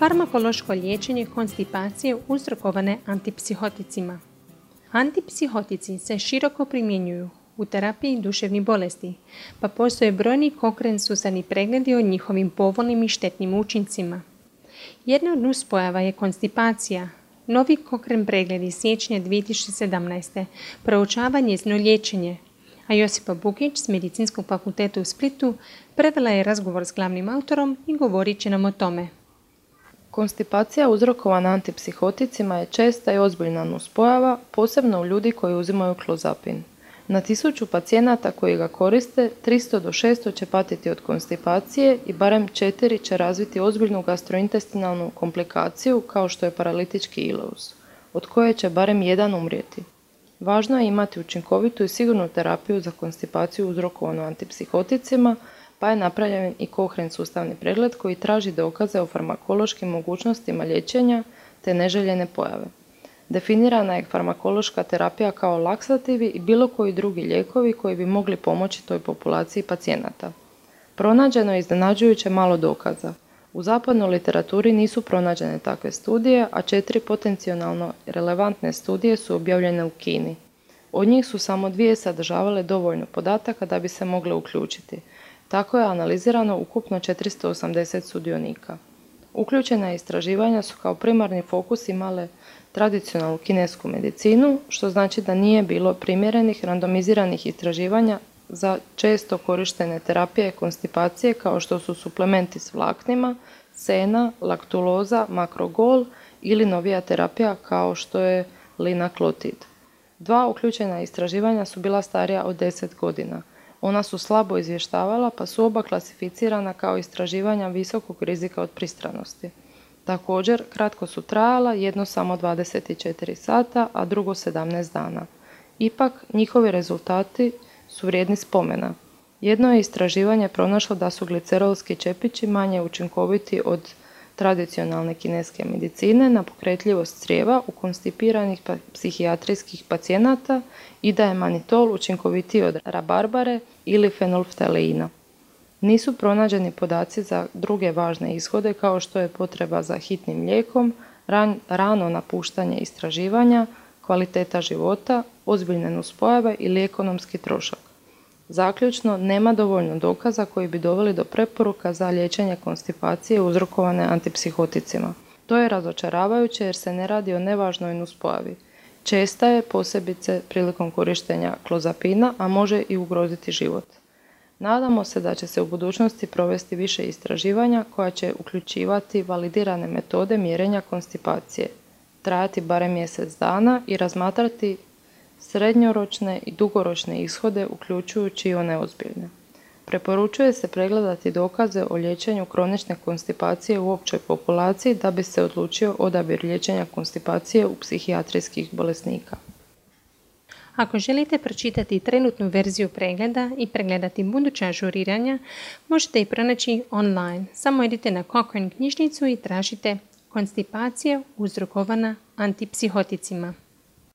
Farmakološko liječenje konstipacije uzrokovane antipsihoticima. Antipsihotici se široko primjenjuju u terapiji duševnih bolesti, pa postoje brojni konsenzualni pregledi o njihovim povoljnim i štetnim učincima. Jedna od nuspojava je konstipacija. Novi Cochrane pregled iz siječnja 2017. proučava njezino liječenje, a Josipa Bukić s Medicinskog fakulteta u Splitu prevela je razgovor s glavnim autorom i govorit će nam o tome. Konstipacija uzrokovana antipsihoticima je česta i ozbiljna nuspojava, posebno u ljudi koji uzimaju klozapin. Na 1000 pacijenata koji ga koriste, 300 do 600 će patiti od konstipacije i barem 4 će razviti ozbiljnu gastrointestinalnu komplikaciju kao što je paralitički ileus, od koje će barem jedan umrijeti. Važno je imati učinkovitu i sigurnu terapiju za konstipaciju uzrokovanu antipsihoticima, pa je napravljen i Cochrane sustavni pregled koji traži dokaze o farmakološkim mogućnostima liječenja te neželjene pojave. Definirana je farmakološka terapija kao laksativi i bilo koji drugi lijekovi koji bi mogli pomoći toj populaciji pacijenata. Pronađeno je iznenađujuće malo dokaza. U zapadnoj literaturi nisu pronađene takve studije, a 4 potencijalno relevantne studije su objavljene u Kini. Od njih su samo 2 sadržavale dovoljno podataka da bi se mogle uključiti. Tako je analizirano ukupno 480 sudionika. Uključena istraživanja su kao primarni fokus imale tradicionalnu kinesku medicinu, što znači da nije bilo primjerenih randomiziranih istraživanja za često korištene terapije konstipacije kao što su suplementi s vlaknima, sena, laktuloza, makrogol ili novija terapija kao što je linaklotid. 2 uključena istraživanja su bila starija od 10 godina. Ona su slabo izvještavala pa su oba klasificirana kao istraživanja visokog rizika od pristranosti. Također, kratko su trajala, jedno samo 24 sata, a drugo 17 dana. Ipak, njihovi rezultati su vrijedni spomena. Jedno je istraživanje pronašlo da su glicerolski čepići manje učinkoviti od tradicionalne kineske medicine na pokretljivost crijeva u konstipiranih psihijatrijskih pacijenata i da je manitol učinkovitiji od rabarbare ili fenolftaleina. Nisu pronađeni podaci za druge važne ishode kao što je potreba za hitnim lijekom, rano napuštanje istraživanja, kvaliteta života, ozbiljne nuspojave ili ekonomski trošak. Zaključno, nema dovoljno dokaza koji bi doveli do preporuka za liječenje konstipacije uzrokovane antipsihoticima. To je razočaravajuće jer se ne radi o nevažnoj nuspojavi. Česta je, posebice prilikom korištenja klozapina, a može i ugroziti život. Nadamo se da će se u budućnosti provesti više istraživanja koja će uključivati validirane metode mjerenja konstipacije, trajati barem mjesec dana i razmatrati srednjoročne i dugoročne ishode uključujući i one ozbiljne. Preporučuje se pregledati dokaze o liječenju kronične konstipacije u općoj populaciji da bi se odlučio odabir liječenja konstipacije u psihijatrijskih bolesnika. Ako želite pročitati trenutnu verziju pregleda i pregledati buduća ažuriranja, možete ih pronaći online. Samo idite na Cochrane knjižnicu i tražite konstipacija uzrokovana antipsihoticima.